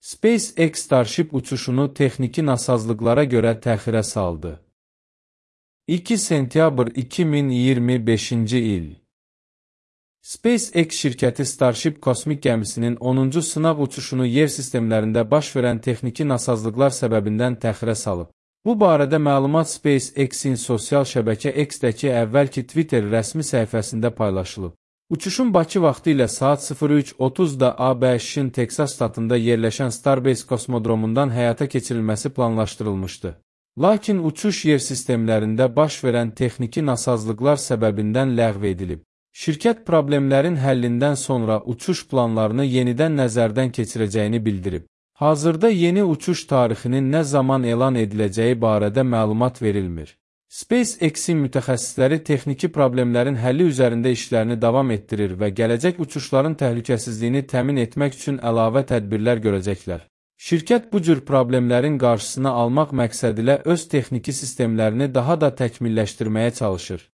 SpaceX Starship uçuşunu texniki nasazlıqlara görə təxirə saldı. 2 sentyabr 2025-ci il. SpaceX şirkəti Starship kosmik gəmisinin 10-cu sınaq uçuşunu yer sistemlərində baş verən texniki nasazlıqlar səbəbindən təxirə salıb. Bu barədə məlumat SpaceX-in sosial şəbəkə X-dəki əvvəlki Twitter rəsmi səhifəsində paylaşılıb. Uçuşun Bakı vaxtı ilə saat 03:30-da ABŞ-in Teksas ştatında yerləşən Starbase kosmodromundan həyata keçirilməsi planlaşdırılmışdı. Lakin uçuş yer sistemlərində baş verən texniki nasazlıqlar səbəbindən ləğv edilib. Şirkət problemlərin həllindən sonra uçuş planlarını yenidən nəzərdən keçirəcəyini bildirib. Hazırda yeni uçuş tarixinin nə zaman elan ediləcəyi barədə məlumat verilmir. SpaceX-in mütəxəssisləri texniki problemlərin həlli üzərində işlərini davam etdirir və gələcək uçuşların təhlükəsizliyini təmin etmək üçün əlavə tədbirlər görəcəklər. Şirkət bu cür problemlərin qarşısını almaq məqsədilə öz texniki sistemlərini daha da təkmilləşdirməyə çalışır.